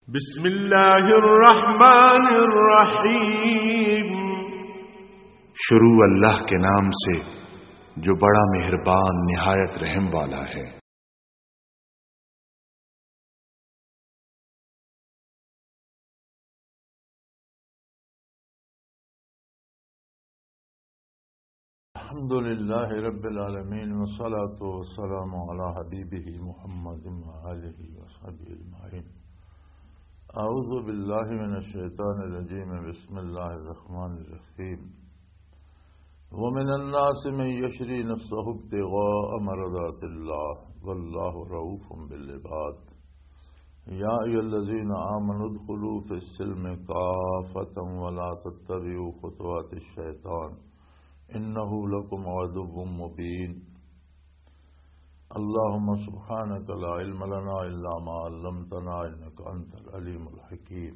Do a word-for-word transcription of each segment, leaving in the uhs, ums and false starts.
بسم اللہ الرحمن الرحیم۔ شروع اللہ کے نام سے، جو بڑا مہربان، نہایت رحم والا ہے۔ الحمد لله رب العالمين، والصلاة والسلام على حبيبه محمد وآله وصحبه أجمعين. أعوذ بالله من الشيطان الرجيم. بسم الله الرحمن الرحيم. ومن الناس من يشري نفسه ابتغاء مرضات الله والله رؤوف بالعباد. يا أيها الذين آمنوا ادخلوا في السلم كافة ولا تتبعوا خطوات الشيطان إنه لكم عدو مبين. اللهم سبحانك لا علم لنا إلا ما علمتنا إنك أنت العليم الحكيم.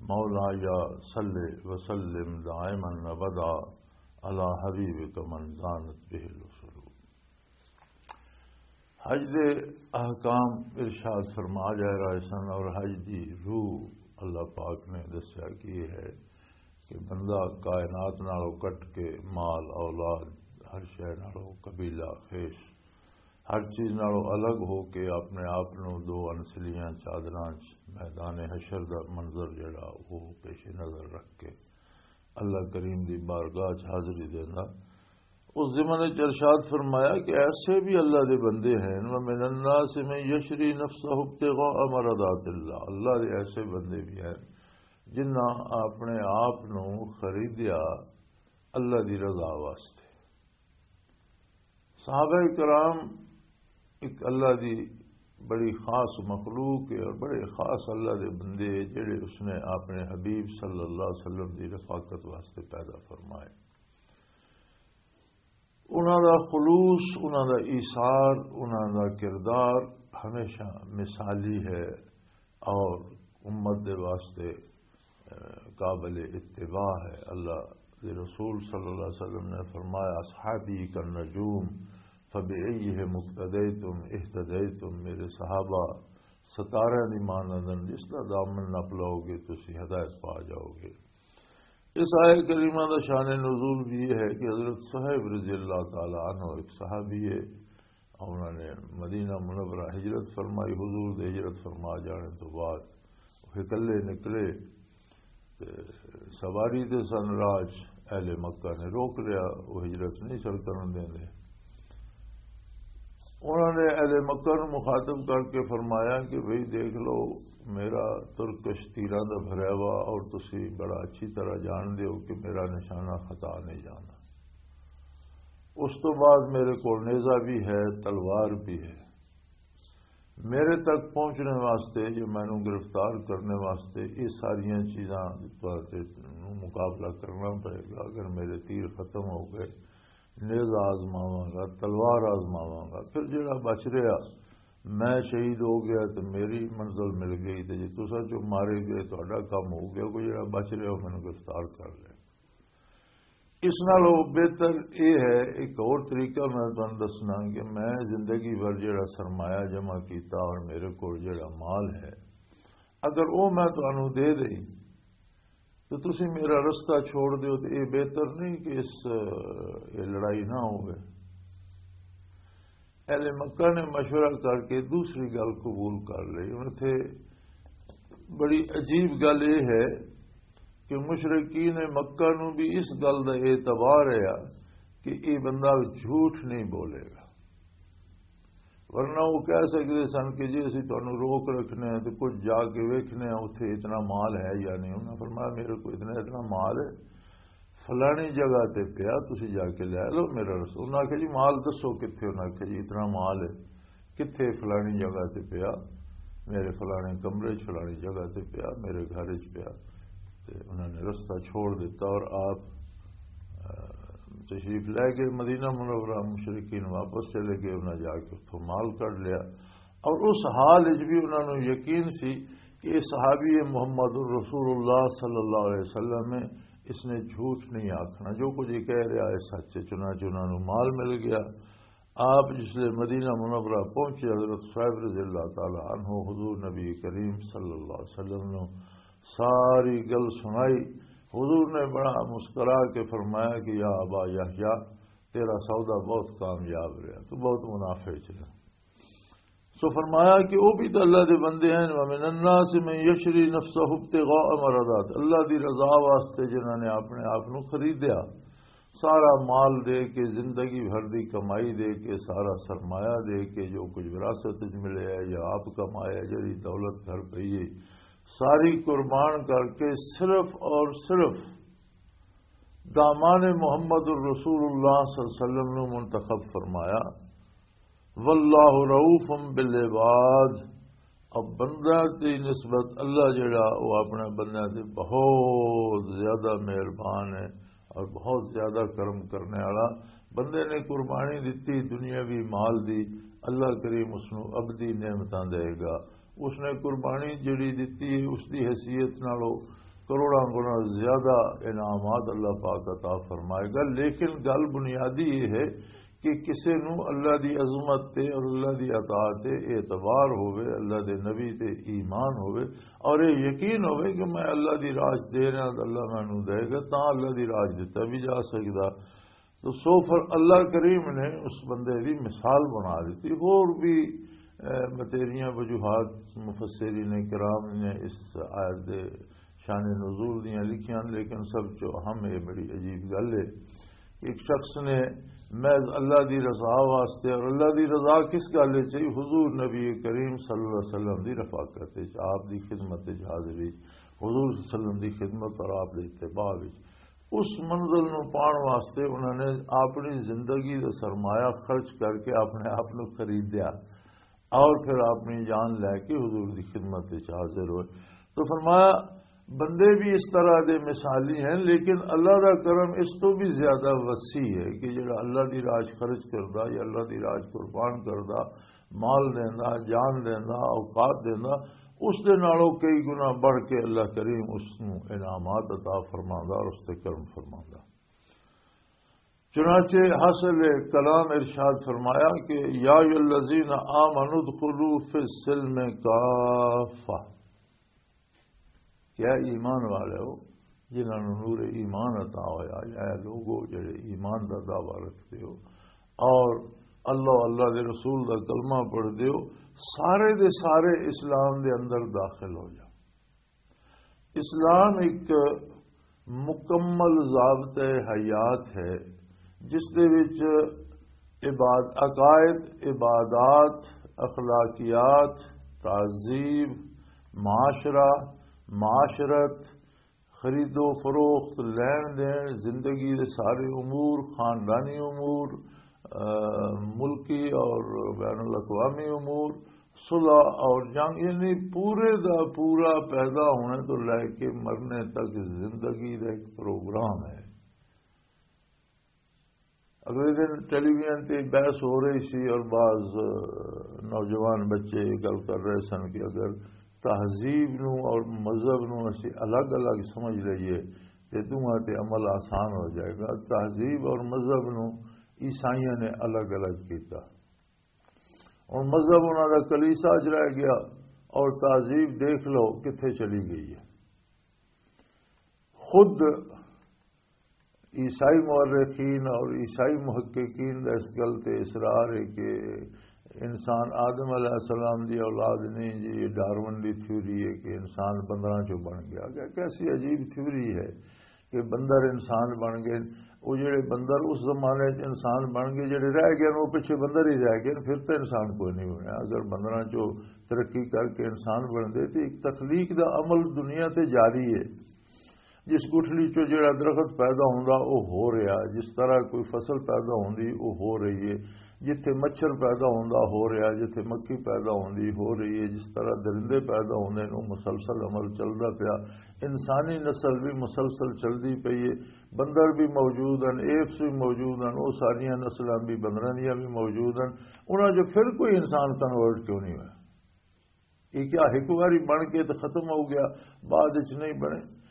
مولاي صل وسلم دائما أبدا على حبيبك من زانت به الوصول. حج دے احکام ارشاد فرما جا رہے سن، اور حج دی روح اللہ پاک نے دسیا کہ یہ ہے کہ بندہ کائنات نالوں کٹ کے، مال، اولاد، ہر شے نالوں، قبیلہ، خیش، ہر چیز نالوں الگ ہو کے اپنے آپ نو دو انسلیاں چادراں چ میدان حشر دا منظر جڑا وہ پیش نظر رکھ کے اللہ کریم دی بارگاہ چ حاضری دیندا۔ اس ضمن وچ ارشاد فرمایا کہ ایسے بھی اللہ دے بندے ہیں، وَمِنَ النَّاسِ مَن يَشْرِي نَفْسَهُ ابْتِغَاءَ مَرْضَاتِ اللَّهِ، اللہ دے ایسے بندے بھی ہیں جنہاں اپنے آپ نو خریدیا اللہ دی رضا واسطے۔ صحابہ کرام ایک اللہ دی بڑی خاص مخلوق ہے اور بڑے خاص اللہ دے بندے ہیں جڑے اس نے اپنے حبیب صلی اللہ علیہ وسلم دی رفاقت واسطے پیدا فرمائے۔ انہاں دا خلوص، انہاں دا ایثار، انہاں دا کردار ہمیشہ مثالی ہے اور امت دے واسطے، اے، قابل اتباع ہے۔ اللہ دے رسول صلی اللہ علیہ وسلم نے فرمایا، "اصحابی کالنجوم فبأیہم اقتدیتم اہتدیتم"، میرے صحابہ ستارے دی مانند، جس دا دامن نپ لو گے تسی ہدایت پا جاؤ گے۔ اس آیت کریمہ دا شان نزول بھی یہ ہے کہ حضرت صہیب رضی اللہ تعالی عنہ ایک صحابی ہے، انہوں نے مدینہ منورہ ہجرت فرمائی، حضور دے ہجرت فرما جانے تو بعد وہ اکلے نکلے تے سواری تے سن، راج اہل مکہ نے روک لیا، وہ ہجرت نہیں سر کرن دیندے۔ انہوں نے اہل مکہ نو مخاطب کر کے فرمایا کہ بھئی دیکھ لو، میرا ترکش تیراں دا بھریا وا اور تسی بڑا اچھی طرح جان دیو کہ میرا نشانہ خطا نہیں جانا۔ اس تو بعد میرے کول نیزہ بھی ہے، تلوار بھی ہے۔ میرے تک پہنچنے واسطے، جو مینوں گرفتار کرنے واسطے، یہ ساریاں چیزاں تے مقابلہ کرنا پڑے گا۔ اگر میرے تیر ختم ہو گئے، نیزہ آزماواں گا، تلوار آزماواں گا، پھر جڑا بچ رہا، میں شہید ہو گیا تے میری منزل مل گئی، تے جے تساں چوں مارے گئے، تہاڈا کم ہو گیا، کوئی جڑا بچ رہا، مینوں گرفتار کر لے۔ اس نالوں بہتر یہ ہے، ایک اور طریقہ میں تمہیں دسنا کہ میں زندگی بھر جڑا سرمایہ جمع کیتا اور میرے کول جڑا مال ہے، اگر وہ میں تمہیں دے دئی تو تسی میرا رستہ چھوڑ دیو، تو یہ بہتر نہیں کہ اس، یہ لڑائی نہ ہوئے۔ اہل مکہ نے مشورہ کر کے دوسری گل قبول کر لی۔ انہوں تھے بڑی عجیب گل یہ ہے کہ مشرکین مکہ نو بھی اس گل دا اعتبار ہے کہ یہ بندہ جھوٹ نہیں بولے گا، ورنہ وہ کہہ سکتے سن کہ جی اسی تانوں روک رکھنے ہیں تو کچھ جا کے ویکھنے ہیں اتھے اتنا مال ہے یا نہیں۔ انہوں نے فرمایا میرے کو اتنا اتنا مال ہے، فلانی جگہ تے پیا، تسی جا کے لے لو میرا رسول۔ انہاں آکھیا جی مال دسو کتھے؟ انہاں آکھیا جی اتنا مال ہے، کتھے؟ فلانی جگہ تے پیا، میرے فلانے کمرے چ فلانی جگہ تے پیا، میرے گھر چ پیا۔ تے انہاں نے رستہ چھوڑ دیتا اور آپ، آ، تشریف لے گئے مدینہ منورہ۔ مشرکین واپس چلے گئے، انہاں جا کے اتھوں مال کڈ لیا۔ اور اس حال وچ بھی انہاں نوں یقین سی کہ یہ صحابی محمد الرسول اللہ صلی اللہ علیہ وسلم ہے، اس نے جھوٹ نہیں آکھنا، جو کچھ یہ کہہ رہا ہے سچ ہے۔ چنانچہ انہاں نوں مال مل گیا، آپ جس لے مدینہ منورہ پہنچے، حضرت صہیب رضی اللہ تعالی عنہ حضور نبی کریم صلی اللہ علیہ وسلم نو ساری گل سنائی۔ حضور نے بڑا مسکرا کے فرمایا کہ یا ابا یحییٰ، تیرا سودا بہت کامیاب رہا، تو بہت منافع چ رہا۔ سو فرمایا کہ وہ بھی تو اللہ دے بندے ہیں۔ وَمِنَ النَّاسِ مَن يَشْرِي نَفْسَهُ ابْتِغَاءَ مَرْضَاتِ، اللہ دی رضا واسطے جنہاں نے اپنے آپ نو خریدیا، سارا مال دے کے، زندگی بھر دی کمائی دے کے، سارا سرمایہ دے کے، جو کچھ وراثت وچ ملے ہے یا آپ کمایا ہے، جڑی دولت گھر پئی ہے، ساری قربان کر کے صرف اور صرف دامان محمد الرسول اللہ صلی اللہ علیہ وسلم نو منتخب فرمایا۔ واللہ رؤوف بالعباد۔ اب بندہ دی نسبت اللہ جڑا، وہ اپنے بندیاں تے بہت زیادہ مہربان ہے اور بہت زیادہ کرم کرنے والا۔ بندے نے قربانی دتی دنیاوی مال دی، اللہ کریم اس نو ابدی نعمتاں دے گا۔ اس نے قربانی جڑی دتی ہے، اس دی حیثیت نالوں کروڑاں گنا زیادہ انعامات اللہ پاک عطا فرمائے گا۔ لیکن گل بنیادی یہ ہے کہ کسے نو اللہ دی عظمت تے اور اللہ دی عطا تے اعتبار ہوئے، اللہ دے نبی تے ایمان ہوئے، اور یہ یقین ہوئے کہ میں اللہ دی راج دے رہا تو اللہ مینوں دے گا، تاں اللہ دی راج دتا بھی جا سکدا۔ تو سو فر اللہ کریم نے اس بندے دی مثال بنا دیتی۔ ہور بھی، اے، بتیریاں وجوہات مفسرین کرام نے اس آیت دے شان نزول دیاں لکھیاں، لیکن سب چو اہم یہ بڑی عجیب گل ہے کہ ایک شخص نے محض اللہ دی رضا واسطے، اور اللہ دی رضا کس گل وچ ہے؟ حضور نبی کریم صلی اللہ علیہ وسلم دی رفاقت وچ، آپ دی خدمت وچ حاضری، حضور صلی اللہ علیہ وسلم دی خدمت اور آپ دے اتباع وچ، اس منزل نو پان واسطے انہوں نے اپنی زندگی دا سرمایہ خرچ کر کے اپنے آپ نو خرید دیا اور پھر اپنی جان لے کے حضور دی خدمت وچ حاضر ہوئے۔ تو فرمایا، بندے بھی اس طرح دے مثالی ہیں، لیکن اللہ دا کرم اس تو بھی زیادہ وسیع ہے کہ جڑا اللہ دی راج خرچ کردا یا اللہ دی راج قربان کردا، مال دیندا، جان دیندا، اوقات دیندا، اس دے نالوں کئی گنا بڑھ کے اللہ کریم اس نوں انعامات عطا فرماندا اور اس تے کرم فرماندا۔ چنانچہ حاصل کلام ارشاد فرمایا کہ یا ایھا الذین آمنوا ادخلوا فی السلم کافہ، کیا ایمان والے ہو، جنہاں نوں نور ایمان عطا ہویا، یا اے لوگو جڑے ایمان دا دعویٰ رکھتے ہو اور اللہ، اللہ دے رسول دا کلمہ پڑھتے ہو، سارے دے سارے اسلام دے اندر داخل ہو جاؤ۔ اسلام ایک مکمل ضابطۂ حیات ہے، جس دے وچ عباد-، عقائد، عبادات، اخلاقیات، تہذیب، معاشرہ، معاشرت، خرید و فروخت، لین دین، زندگی دے سارے امور، خاندانی امور، آ، ملکی اور بین الاقوامی امور، صلح اور جنگ، یعنی پورے دا پورا پیدا ہونے تو لے کے مرنے تک زندگی دا ایک پروگرام ہے۔ اگلے دن ٹیلی ویژن تے بحث ہو رہی سی اور بعض، آ، نوجوان بچے یہ گل کر رہے سن کہ اگر تہذیب نو اور مذہب نو اسی الگ الگ سمجھ لئیے تے دوواں تے عمل آسان ہو جائے گا۔ تہذیب اور مذہب نو عیسائیاں نے الگ الگ کیتا۔ ہن مذہب انہاں دا کلیسا چ رہ گیا اور تہذیب دیکھ لو کتھے چلی گئی ہے۔ خود عیسائی مورخین اور عیسائی محققین دا اس گل تے اصرار ہے کہ انسان آدم علیہ السلام دی اولاد نہیں جی، یہ ڈارون دی تھیوری ہے کہ انسان بندراں چوں بن گیا۔ کہ کیسی عجیب تھیوری ہے کہ بندر انسان بن گئے۔ وہ جڑے بندر اس زمانے چ انسان بن گئے، جڑے رہ گئے، وہ پیچھے بندر ہی رہ گئے، پھر تو انسان کوئی نہیں بنیا۔ اگر بندراں چوں ترقی کر کے انسان بن دے، تو ایک تخلیق دا عمل دنیا تے جاری ہے۔ جس گٹھلی چوں جڑا درخت پیدا ہوندا، او ہو رہیا، جس طرح کوئی فصل پیدا ہوندی، او ہو رہی ہے۔ جتھے مچھر پیدا ہوندا، ہو رہیا، جتھے مکھی پیدا ہوندی، ہو رہی ہے۔ جس طرح درندے پیدا ہوندے نے، او مسلسل عمل چلدا پیا۔ انسانی نسل بھی مسلسل چلدی پئی ہے۔ بندر بھی موجود ہیں، ایپس بھی موجود ہیں، او ساریاں نسلاں بھی بندراں دیاں بھی موجود ہیں۔ انہاں جو پھر کوئی انسان کنورٹ کیوں نہیں ہویا؟ یہ کیا ایک واری بن کے تو ختم ہو گیا، بعد وچ نہیں بنے؟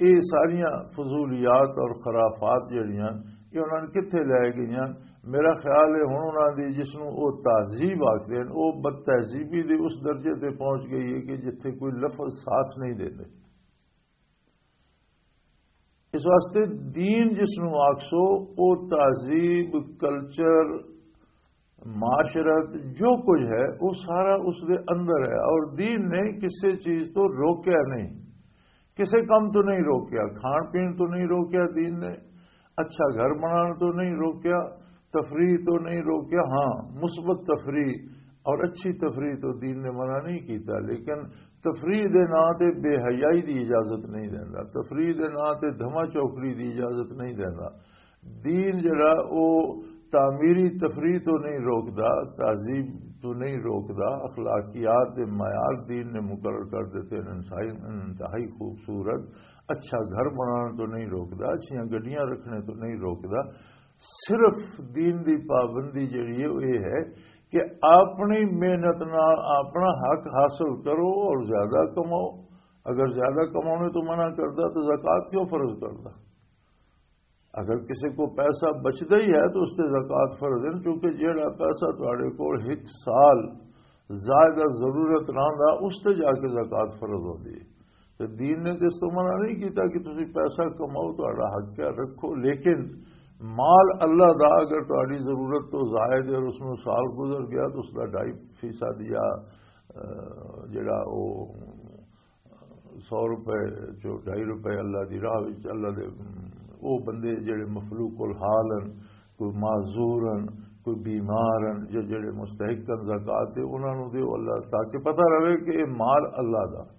یہ ساریاں فضولیات اور خرافات جڑیاں، یہ انہاں نے کتھے لے گئیاں؟ میرا خیال ہے ہن انہاں دی جس نوں او تہذیب آکھدے ہن، او بد تہذیبی دے اس درجے تے پہنچ گئی ہے کہ جتھے کوئی لفظ ساتھ نہیں دیندے۔ اس واسطے دین جس نوں آکھسو، او تہذیب، کلچر، معاشرت، جو کچھ ہے، وہ سارا اس دے اندر ہے۔ اور دین نے کسی چیز تو روکیا نہیں، کسی کم تو نہیں روکیا، کھان پین تو نہیں روکیا دین نے، اچھا گھر بنانا تو نہیں روکیا، تفریح تو نہیں روکیا۔ ہاں، مثبت تفریح اور اچھی تفریح تو دین نے منع نہیں کیتا، لیکن تفریح دے نام تے بے حیائی دی اجازت نہیں دیندا، تفریح دے نام تے دھما چوکڑی دی اجازت نہیں دیندا۔ دین جڑا، او تعمیری تفریح تو نہیں روکدا، تہذیب تو نہیں روکدا، اخلاقیات دے معیار دین نے مقرر کر دیتے ہیں، انتہائی، انتہائی خوبصورت۔ اچھا گھر بنانا تو نہیں روکدا، اچھیاں گڈیاں رکھنے تو نہیں روکدا۔ صرف دین دی پابندی جڑی ہے، وہ یہ ہے کہ اپنی محنت نال اپنا حق حاصل کرو اور زیادہ کماؤ۔ اگر زیادہ کماؤنے تو منع کردا تو زکوٰۃ کیوں فرض کردا؟ اگر کسی کو پیسہ بچدا ہی ہے تو اس تے زکوٰۃ فرض ہے، کیونکہ جیڑا پیسہ تہاڈے کول ایک سال زائد ضرورت رہندا، اس تے جا کے زکوٰۃ فرض ہوندی ہے۔ تے دین نے تے اس تو منع نہیں کیتا کہ تسی پیسہ کماؤ، تہاڈا حق ہے، رکھو، لیکن مال اللہ دا، اگر تہاڈی ضرورت تو زائد ہے اور اس نوں سال گزر گیا تو اس دا ڈھائی فیصد یا، آ، جڑا او سو روپے، جو ڈھائی روپے اللہ دی راہ وچ، اللہ دے، او بندے جڑے مفلوق الحال ہن، کوئی معذور ہن، کوئی بیمار ہن، جو جڑے مستحق ہن زکوٰۃ دے، انہاں نوں دیو اللہ، تاکہ پتہ رہے کہ یہ مال اللہ دا۔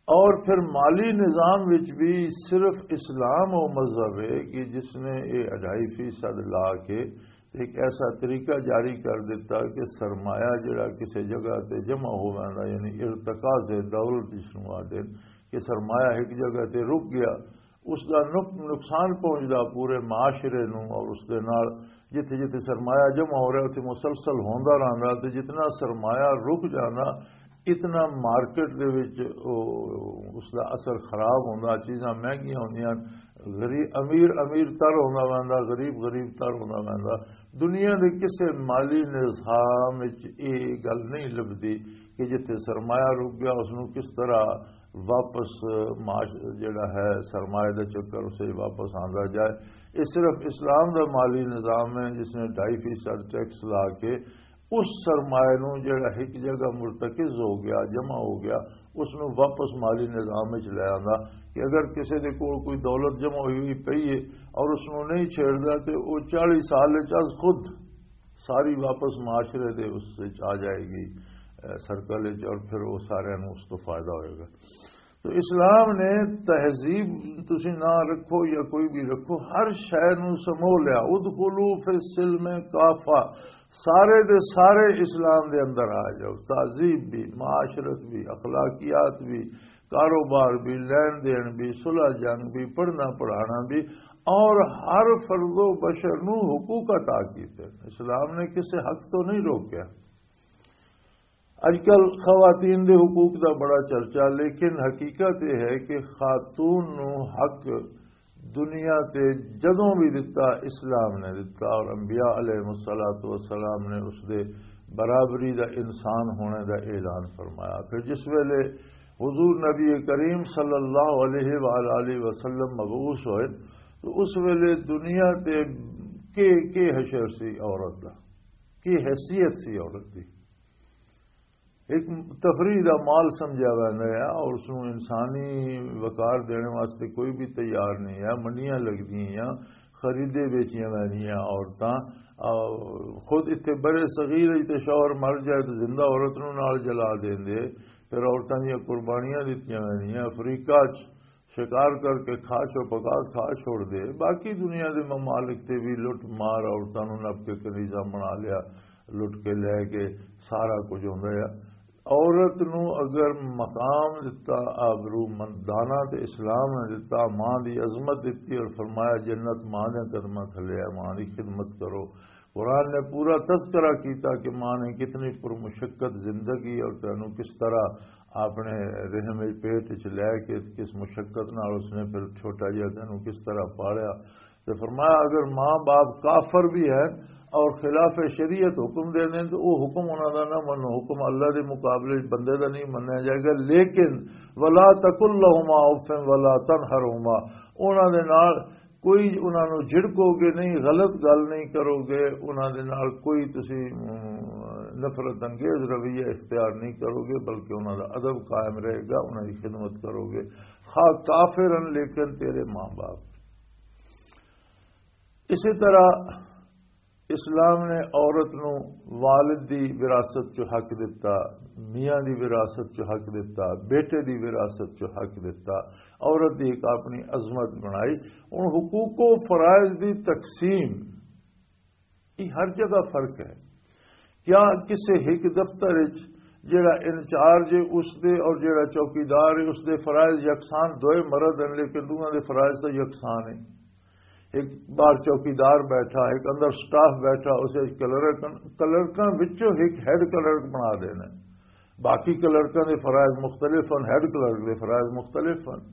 اور پھر مالی نظام وچ بھی صرف اسلام وہ مذہب ہے کہ جس نے یہ اڑھائی فیصد لا کے ایک ایسا طریقہ جاری کر دیتا کہ سرمایہ جڑا کسی جگہ تے جمع ہو ویندا، یعنی ارتکاز دولت جس نوں آدھے کہ سرمایہ ایک جگہ تے رک گیا، اس دا نق-، نقصان پہنچدا پورے معاشرے نوں، اور اس دے نال جتھے جتھے سرمایہ جمع ہو رہا، اتھے مسلسل ہوندا رہندا، تے جتنا سرمایہ رک جاندا، اتنا مارکیٹ دے وچ او، اس دا اثر خراب ہوندا، چیزاں مہنگیاں ہوندیاں، غریب، امیر امیر تر ہوندا ویندا، غریب غریب تر ہوندا ویندا۔ دنیا دے کسے مالی نظام وچ یہ گل نہیں لبدی کہ جتھے سرمایہ رک گیا، اس نوں کس طرح واپس معاش-، جڑا ہے، سرمایہ دا چکر اسے واپس آندا جائے۔ یہ صرف اسلام دا مالی نظام ہے جس نے ڈھائی فیصد ٹیکس لا کے اس سرمایہ نوں جڑا ایک جگہ مرتکز ہو گیا، جمع ہو گیا، اس نوں واپس مالی نظام وچ لے آندا کہ اگر کسی دے کول کوئی دولت جمع ہوئی ہوئی پئی ہے اور اس نوں نہیں چھیڑدا تے او چالیس سال وچ از خود ساری واپس معاشرے دے اس وچ آ جائے گی، اے، سرکل وچ، اور پھر وہ سارے نوں اس تو فائدہ ہوئے گا۔ تو اسلام نے تہذیب، تسی نہ رکھو یا کوئی بھی رکھو، ہر شے نوں سمو لیا۔ ادخلوا فی السلم کافہ، سارے دے سارے اسلام دے اندر آ جاؤ، تہذیب بھی، معاشرت بھی، اخلاقیات بھی، کاروبار بھی، لین دین بھی، صلح جنگ بھی، پڑھنا پڑھانا بھی، اور ہر فرد و بشر نوں حقوق عطا کیتے۔ اسلام نے کسے حق تو نہیں روکیا۔ اج کل خواتین دے حقوق دا بڑا چرچا، لیکن حقیقت یہ ہے کہ خاتون نو حق دنیا تے جدوں بھی دتا، اسلام نے دتا، اور انبیاء علیہ الصلوۃ والسلام نے اس دے برابری دا انسان ہونے دا اعلان فرمایا۔ پھر جس ویلے حضور نبی کریم صلی اللہ علیہ وآلہ وسلم مبعوث ہوئے تو اس ویلے دنیا تے کے، کے حشر سی عورت دا، کی حیثیت سی عورت دی؟ ایک تفریح دا مال سمجھا ویندا ہے اور اس نوں انسانی وقار دینے واسطے کوئی بھی تیار نہیں ہے۔ منڈیاں لگدیاں، خریدے بیچیاں ویندیاں عورتاں۔ آ، خود اتھے برے صغیر تے شوہر مر جائے تو زندہ عورت نوں نال جلا دیندے۔ پھر عورتاں دیاں قربانیاں دتیاں ویندیاں۔ افریقہ چ شکار کر کے کھا چھو، پکا کھا چھوڑ دے۔ باقی دنیا دے ممالک تے بھی لٹ مار، عورتاں نوں نپ کے کنیزاں بنا لیا، لٹ کے لے کے سارا کچھ ہوندا ہے۔ عورت نوں اگر مقام دتا، آبرو مندانہ تے اسلام نے دتا، ماں دی عظمت دتی اور فرمایا، "جنت ماں دے قدماں تھلے ہے، ماں دی خدمت کرو۔" قرآن نے پورا تذکرہ کیتا کہ ماں نے کتنی پرمشقت زندگی اور تینوں کس طرح اپنے رحم وچ، پیٹ وچ لے کے کس مشقت نال اس نے پھر چھوٹا جہا تینوں کس طرح پالیا۔ تے فرمایا، اگر ماں باپ کافر بھی ہیں اور خلاف شریعت حکم دے دیں تو وہ حکم انہاں دا نہ منو، حکم اللہ دے مقابلے وچ بندے دا نہیں منیا جائے گا۔ لیکن ولا تقل لهما اف ولا تنهرهما، انہاں دے نال کوئی انہاں نوں جھڑکو گے نہیں، غلط گل نہیں کرو گے، انہاں دے نال کوئی تسی، ام، نفرت انگیز رویہ اختیار نہیں کرو گے، بلکہ انہاں دا ادب قائم رہے گا، انہاں دی خدمت کرو گے، خواہ کافر ہن لیکن تیرے ماں باپ۔ اسی طرح اسلام نے عورت نو والد دی وراثت چ حق دتا، میاں دی وراثت چ حق دتا، بیٹے دی وراثت چ حق دتا۔ عورت دی ایک اپنی عظمت بنائی۔ ہن حقوق و فرائض دی تقسیم، یہ ہر جگہ فرق ہے۔ کیا کسے ایک دفتر وچ جڑا انچارج ہے اس دے اور جڑا چوکیدار ہے اس دے فرائض یکسان؟ دوئے مرد ہیں لیکن دونوں دے فرائض تو یکسان ہیں۔ ایک باہر چوکیدار بیٹھا، ایک اندر سٹاف بیٹھا، اسے کلرک، کلرکاں وچوں ایک ہیڈ کلرک بنا دینا۔ باقی کلرکاں دے فرائض مختلف ہیں، ہیڈ کلرک دے فرائض مختلف ہیں۔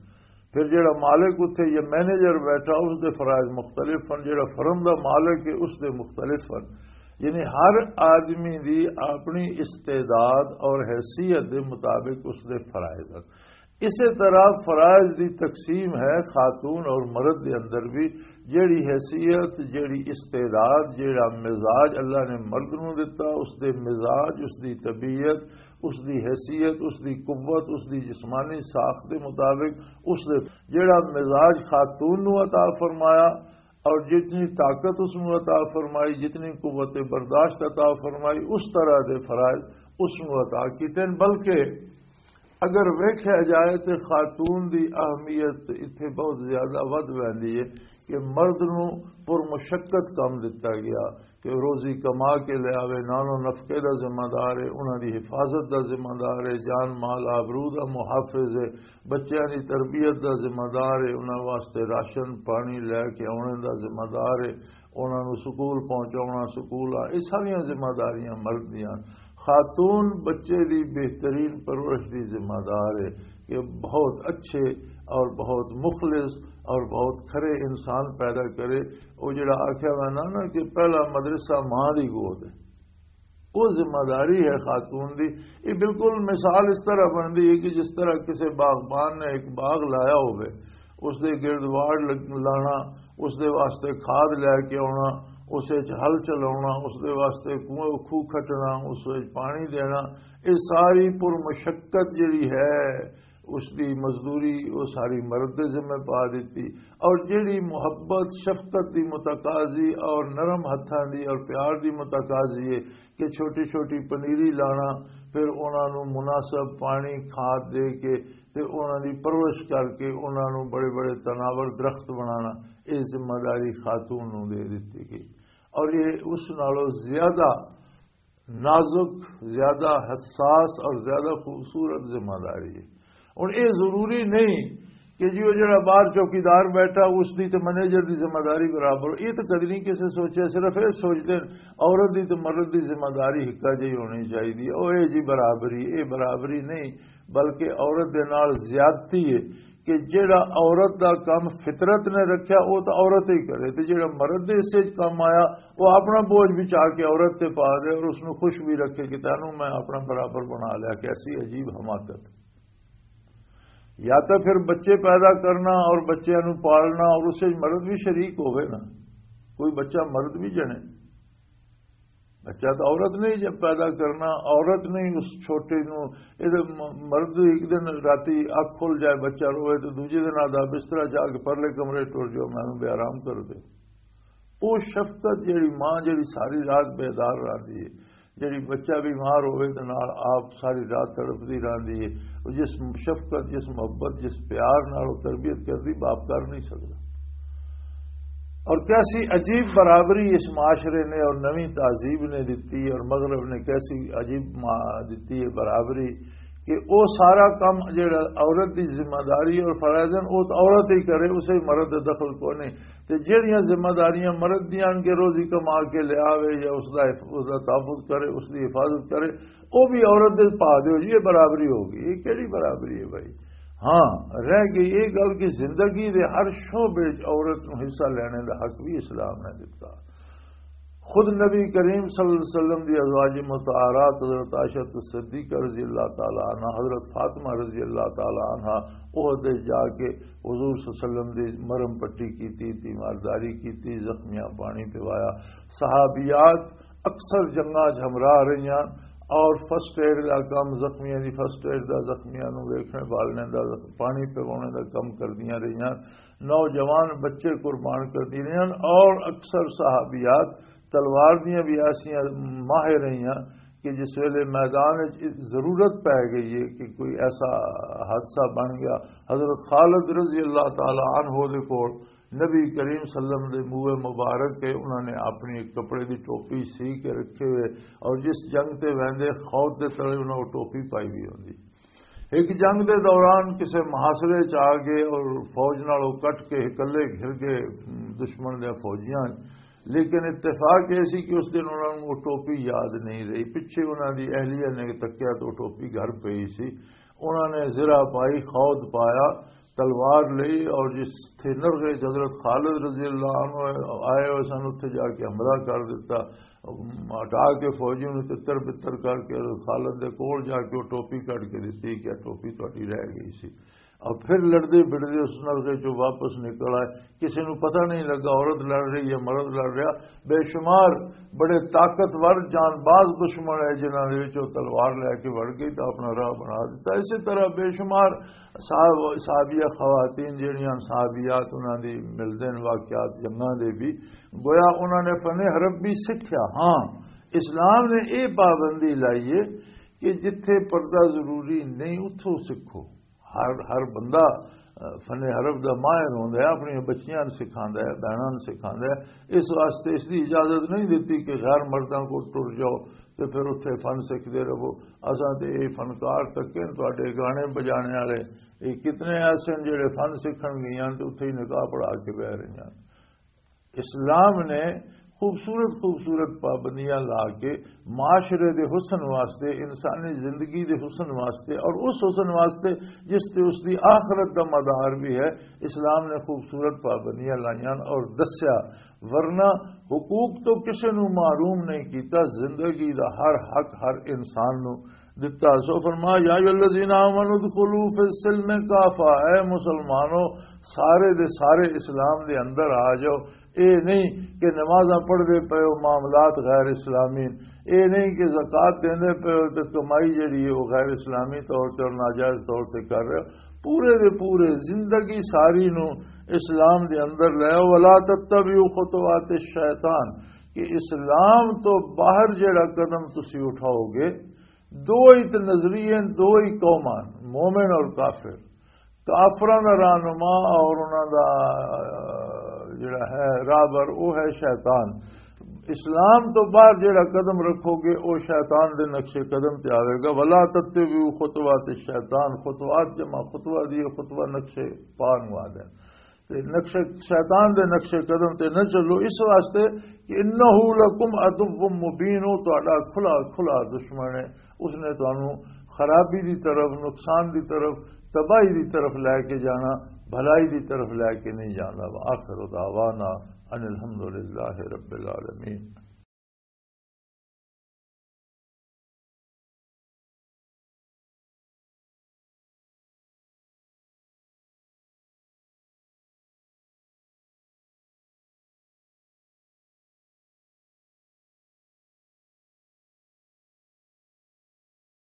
پھر جڑا مالک اتھے یا مینیجر بیٹھا، اس دے فرائض مختلف ہیں، جڑا فرم دا مالک ہے اس دے مختلف ہیں۔ یعنی ہر آدمی دی اپنی استعداد اور حیثیت دے مطابق اس دے فرائض ہیں۔ اسی طرح فرائض دی تقسیم ہے خاتون اور مرد دے اندر بھی۔ جیڑی حیثیت، جیڑی استعداد، جیڑا مزاج اللہ نے مرد نو دتا، اس دے مزاج، اس دی طبیعت، اس دی حیثیت، اس دی قوت، اس دی جسمانی ساخت دے مطابق اس دے جیڑا مزاج خاتون نو عطا فرمایا اور جتنی طاقت اس نو عطا فرمائی، جتنی قوت برداشت عطا فرمائی، اس طرح دے فرائض اس نو عطا کیتے ہیں۔ بلکہ اگر ویکھیا جائے تے خاتون دی اہمیت اتھے بہت زیادہ ودھ ویندی ہے کہ مرد نو پر مشقت کم دتا گیا کہ روزی کما کے لے آوے، نانو نفقے دا ذمہ دار ہے، انہاں دی حفاظت دا ذمہ دار ہے، جان مال آبرو دا محافظ ہے، بچیاں دی تربیت دا ذمہ دار ہے، انہاں واسطے راشن پانی لے کے آنے دا ذمہ دار ہے، انہاں نوں سکول پہنچاونا، سکول آ، یہ ساریاں ذمہ داریاں مرد دیاں۔ خاتون بچے دی بہترین پرورش دی ذمہ دار ہے کہ بہت اچھے اور بہت مخلص اور بہت کھرے انسان پیدا کرے۔ وہ جڑا آکھیا میں نا نا کہ پہلا مدرسہ ماں دی گود ہے، وہ ذمہ داری ہے خاتون دی۔ یہ بالکل مثال اس طرح بنتی ہے کہ جس طرح کسی باغبان نے ایک باغ لایا ہوئے، اس دے گرد واڑ لگ- لانا، اس دے واسطے کھاد لے کے آنا، اس وچ ہل چلاونا، اس دے واسطے کنواں، کھوہ کھٹنا، اس وچ پانی دینا، یہ ساری پر مشقت جڑی ہے، اس دی مزدوری وہ ساری مرد دے ذمہ پا دیتی۔ اور جڑی محبت، شفقت دی متقاضی اور نرم ہتھاں دی اور پیار دی متقاضی ہے کہ چھوٹی چھوٹی پنیری لانا، پھر انہاں نوں مناسب پانی، کھاد دے کے تے انہاں دی پرورش کر کے انہاں نوں بڑے بڑے تناور درخت بنانا، یہ ذمہ داری خاتون نوں دے دتی گئی۔ اور یہ اس نالوں زیادہ نازک، زیادہ حساس اور زیادہ خوبصورت ذمہ داری ہے۔ ہن یہ ضروری نہیں کہ جی وہ جڑا باہر چوکیدار بیٹھا، اس دی تے مینیجر دی ذمہ داری برابر ہو۔ یہ تو کدی نہیں کسے سوچیا، صرف یہ سوچدے نے، عورت دی تے مرد دی ذمہ داری ہکا جہی ہونی چاہیے۔ او اے جی برابری، اے برابری نہیں، بلکہ عورت دے نال زیادتی ہے کہ جڑا عورت دا کم فطرت نے رکھیا، وہ تو عورت ہی کرے، تے جڑا مرد دے حصے وچ کم آیا، وہ اپنا بوجھ بچا کے عورت تے پا دے اور اس نو خوش بھی رکھے کہ تینوں میں اپنا برابر بنا لیا۔ کیسی عجیب حماقت! یا تو پھر بچے پیدا کرنا اور بچیاں نو پالنا اور اس وچ مرد بھی شریک ہوئے نا، کوئی بچہ مرد بھی جنے۔ بچہ تو عورت نے ہی جب پیدا کرنا، عورت نے ہی اس چھوٹے نو، یہ تو م-، مرد ایک دن راتی اکھ کھل جائے، بچہ روئے تو دوجے دن آدھا بسترا جا کے پرلے کمرے ٹر جاؤ، میں بے آرام کر دے۔ وہ شفقت جیڑی ماں جیڑی ساری رات بیدار رہندی ہے، جیڑی بچہ بیمار ہوئے تے نال آپ ساری رات تڑپدی رہندی ہے، وہ جس شفقت، جس محبت، جس پیار نال وہ تربیت کردی، باپ کر نہیں سکدا۔ اور کیسی عجیب برابری اس معاشرے نے اور نویں تہذیب نے دتی اور مغرب نے کیسی عجیب ما-، دتی ہے برابری کہ وہ سارا کم جڑا عورت دی ذمہ داری اور فرائض ہیں، وہ تو عورت ہی کرے، اسے مرد دا دخل کو نہیں۔ تے جڑیاں ذمہ داریاں مرد دیاں آن کے روزی کما کے لے آوے یا اس دا، اس دا تحفظ کرے، اس دی حفاظت کرے، وہ بھی عورت دے پا دیو جی، یہ برابری ہو گئی۔ یہ کیڑی برابری ہے بھائی؟ ہاں، رہ گئی یہ گل کہ زندگی دے ہر شعبے وچ عورت نوں حصہ لینے دا حق بھی اسلام نے دتا۔ خود نبی کریم صلی اللہ علیہ وسلم دی ازواج مطہرات حضرت عائشہ الصدیقہ رضی اللہ تعالی عنہا، حضرت فاطمہ رضی اللہ تعالی عنہا عہد وچ جا کے حضور صلی اللہ علیہ وسلم دی مرہم پٹی کیتی، تیمارداری کیتی، زخمیاں پانی پوایا۔ صحابیات اکثر جنگاں 'چ ہمراہ رہیاں اور فرسٹ ایڈ دا کم، زخمیاں دی فرسٹ ایڈ دا، زخمیاں نوں ویکھنے والنے دا، پانی پوانے دا کم کردیاں رہیاں۔ نوجوان بچے قربان کردی رہیاں اور اکثر صحابیات تلوار دیاں بھی ایسیاں ماہر رہیاں کہ جس ویلے میدان وچ ضرورت پی گئی ہے کہ کوئی ایسا حادثہ بن گیا، حضرت خالد رضی اللہ تعالی عنہ دے کول نبی کریم صلی اللہ علیہ وسلم دے منہ مبارک کے انہوں نے اپنی ایک کپڑے دی ٹوپی سی کے رکھے ہوئے، اور جس جنگ تے ویندے خود دے تلے انہوں نے ٹوپی پائی ہوئی ہوندی۔ ایک جنگ دے دوران کسے محاصرے چ آ گئے اور فوج نال او کٹ کے اکلے گھر گئے دشمن دے فوجیاں، لیکن اتفاق یہ سی کہ اس دن انہوں نے وہ ٹوپی یاد نہیں رہی۔ پچھے انہوں دی اہلیہ نے تکیا تو ٹوپی گھر پئی سی۔ انہوں نے زرہ پائی، خود پایا، تلوار لئی اور جس تھے نرغے حضرت خالد رضی اللہ عنہ آئے ہوئے سن، اتھے جا کے حملہ کر دیتا۔ ہٹا کے فوجیوں نے تتر بتر کر کے حضرت خالد دے کول جا کے وہ ٹوپی کٹ کے دیتی کہ ٹوپی تہاڈی رہ گئی سی۔ اور پھر لڑدے بڑدے اس نرغے چوں واپس نکل آئے۔ کسی نوں پتہ نہیں لگا عورت لڑ رہی یا مرد لڑ رہا۔ بے شمار بڑے طاقتور جان باز دشمن ہے جنہاں دے وچ وہ تلوار لے کے وڑ گئی تو اپنا راہ بنا دیتا۔ اسی طرح بے شمار صاحب صحابیہ خواتین جڑیاں صحابیات انہاں دی ملدے نے واقعات جنگاں دے بھی، گویا انہاں نے فن حرب بھی سکھیا۔ ہاں، اسلام نے یہ پابندی لائی ہے کہ جتھے پردہ ضروری نہیں اتھوں سکھو۔ ہر ہر بندہ فن حرب دا ماہر ہوندا ہے، اپنی بچیاں نوں سکھاندا ہے، بہناں نوں سکھاندا ہے۔ اس واسطے اس دی اجازت نہیں دتی کہ غیر مرداں کو ٹر جاؤ تے پھر اتھے فن سکھدے رہو۔ اساں تے یہ فنکار تکے نے، تہاڈے گانے بجانے والے، یہ کتنے ایسے ہیں جڑے فن سکھن گئیاں تے اتھے ہی نکاح پڑھا کے بہ رہیاں۔ اسلام نے خوبصورت خوبصورت پابندیاں لا کے معاشرے دے حسن واسطے، انسانی زندگی دے حسن واسطے اور اس حسن واسطے جس تے اس دی آخرت دا مدار بھی ہے، اسلام نے خوبصورت پابندیاں لائیاں اور دسیا، ورنہ حقوق تو کسے نوں محروم نہیں کیتا، زندگی دا ہر حق ہر انسان نوں دتا۔ سو فرما، یا ایھا الذین آمنوا ادخلوا فی السلم کافہ، اے مسلمانو، سارے دے سارے اسلام دے اندر آ جاؤ۔ اے نہیں کہ نمازاں پڑھ دے پے ہو، معاملات غیر اسلامی۔ اے نہیں کہ زکوٰۃ دیندے پے ہو تے کمائی جڑی ہے وہ غیر اسلامی طور تے اور ناجائز طور تے کر رہے ہو۔ پورے دے پورے زندگی ساری نو اسلام دے اندر لے آؤ۔ ولا تتبعوا خطوات الشیطان، کہ اسلام تو باہر جڑا قدم تسی اٹھاؤ گے، دو ہی تے نظریے، دو ہی قوماں، مومن اور کافر۔ کافراں دا رہنما اور انہاں دا، آ، جڑا ہے راہبر، وہ ہے شیطان۔ اسلام تو باہر جڑا قدم رکھو گے، وہ شیطان دے نقش قدم تے آوے گا۔ ولا تتبعوا خطوات الشیطان، خطوات جمع خطوہ دی، خطوہ نقش پا نو آدھے۔ تے نقش، شیطان دے نقش قدم تے نہ چلو، اس واسطے کہ انہ لکم عدو مبین، وہ تہاڈا کھلا کھلا دشمن ہے۔ اس نے تانوں خرابی دی طرف، نقصان دی طرف، تباہی دی طرف لے کے جانا، بھلائی دی طرف لے کے نہیں جانا۔ وآخر دعوانا ان الحمد للہ رب العالمین۔